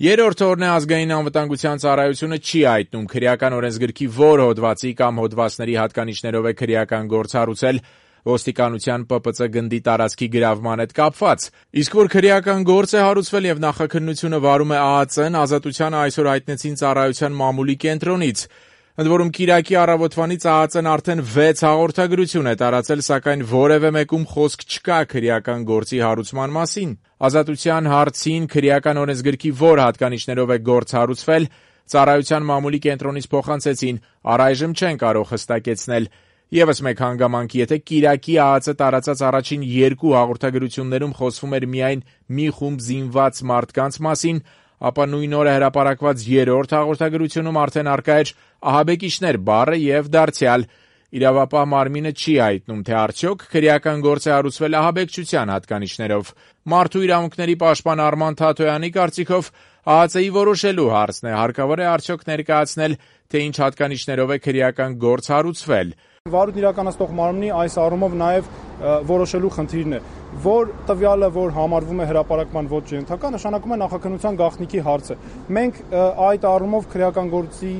Երրորդ օրն է ազգային անվտանգության ծառայությունը չի հայտնում քրեական օրենսգրքի որ հոդվածի կամ հոդվածների հատկանիշներով է քրեական գործ հարուցել ոստիկանության ՊՊԾ գնդի տարածքի գրավման հետ կապված։ Իսկ որ քրեական գործ է հարուցվել եւ նախաքննությունը վարում է ԱԱԾ-ն, Ազատությանը այսօր հայտնեցին ծառայության մամուլի կենտրոնից։ Ընդ որում Կիրակի առավոտվանից ԱԱԾ-ն արդեն 6 հաղորդագրություն է տարածել, սակայն որևէ մեկում խոսք չկա քրեական գործի հարուցման մասին։ Ազատության հարցին քրեական օրենսգրքի որ հատկանիշներով է գործ հարուցվել, ծառայության մամուլի կենտրոնից փոխանցեցին, առայժմ չեն կարող հստակեցնել։ Եվս մեկ հանգամանք, եթե Կիրակի ԱԱԾ տարածած առաջին 2 հաղորդագրություններում խոսվում էր միայն մի խումբ զինված մարդկանց մասին, ապա նույն օրը հրապարակված երրորդ հաղորդագրությունում արդեն առկա էր ահաբեկիչներ բառը եւ դարձյալ։ Իրավապահ մարմինը չի հայտնում, թե արդյոք քրեական գործ է հարուցվել ահաբեկչության հատկանիշներով։ Մարդու իրավունքների պաշտպան Արման Թաթոյանի կարծիքով ԱԱԾ-ի որոշելու հարցն է, հարկավոր է արդյոք ներկայացնել, թե ինչ հատկանիշներով է քրեական գործ հարուցվել։ Վարույթ իրականացնող մարմնի այս առումով նաև որոշելու խնդիրն է, որ տվյալը, որ համարվում է հրապարակման ոչ ենթակա, նշանակում է նախաքննության գաղտնիքի հարցը։ Մենք այդ առումով քրեական գործի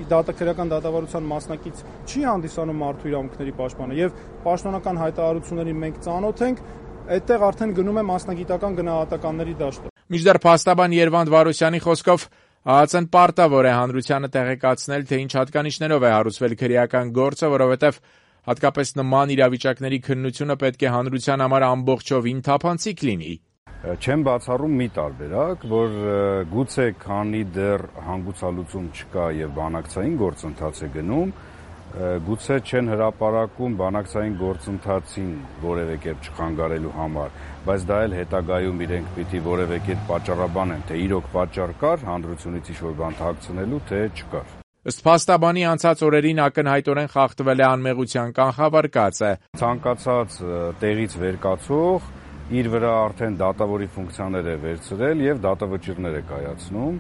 քրեական դատավարության մասնակից չի հանդիսանում մարդու իրավունքների պաշտպանը եւ պաշտոնական հայտարարություններին մենք ծանոթ ենք, այդտեղ արդեն գնում է մասնագիտական գնահատականների դաշտը։ Մինչդեռ փաստաբան Երվանդ Վարոսյանի խոսքով ԱԱԾ-ն պարտավոր է հանրությանը տեղեկացնել, թե ինչ հատկանիշներով է հարուցվել քրեական գործը, որովհետև հատկապես նման իրավիճակների քննությունը պետք է հանրության համար ամբողջովին թափանցիկ լինի։ Չեմ բացառում մի տարբերակ, որ գուցե քանի դեռ հանգուցալուծում չկա եւ բանակցային գործընթաց է գնում, գուցե չեն հրապարակում բանակցային գործընթացին որևէ կերպ չխանգարելու համար, բայց դա էլ հետագայում իրենք պիտի որևէ կերպ պատճառաբանեն, թե իրոք պատճառ կար հանրությունից ինչ-որ բան թաքցնելու, թե չկար։ Ըստ փաստաբանի անցած օրերին ակնհայտորեն խախտվել է անմեղության կանխավարկածը։ Ցանկացած տեղից վերկացող իր վրա արդեն դատավորի ֆունկցիաներ է վերցրել եւ դատավճիռներ է կայացնում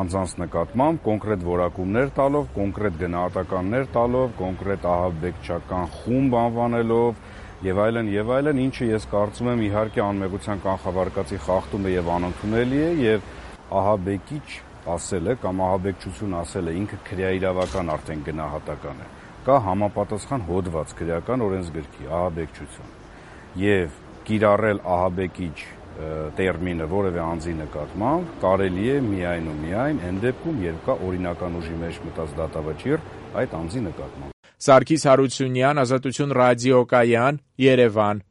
անձանց նկատմամբ, կոնկրետ որակումներ տալով, կոնկրետ գնահատականներ տալով, կոնկրետ ահաբեկչական խումբ անվանելով եւ այլն, ինչը ես կարծում եմ իհարկե անմեղության կանխավարկածի խախտում է եւ անընդունելի է եւ ահաբեկիչ ասելը կամ ահաբեկչություն ասելը ինքը քրեաիրավական արդեն գնահատական է։ Կա համապատասխան հոդված քրեական օրենսգրքի ահաբեկչություն եւ կիրառել ահաբեկիչ տերմինը որևէ անձի նկատմամբ կարելի է միայն ու միայն այն դեպքում, երբ կա օրինական ուժի մեջ մտած դատավճիռ այդ անձի նկատմամբ։ Սարգիս Հարությունյան, Ազատություն ռադիոկայան, Երևան։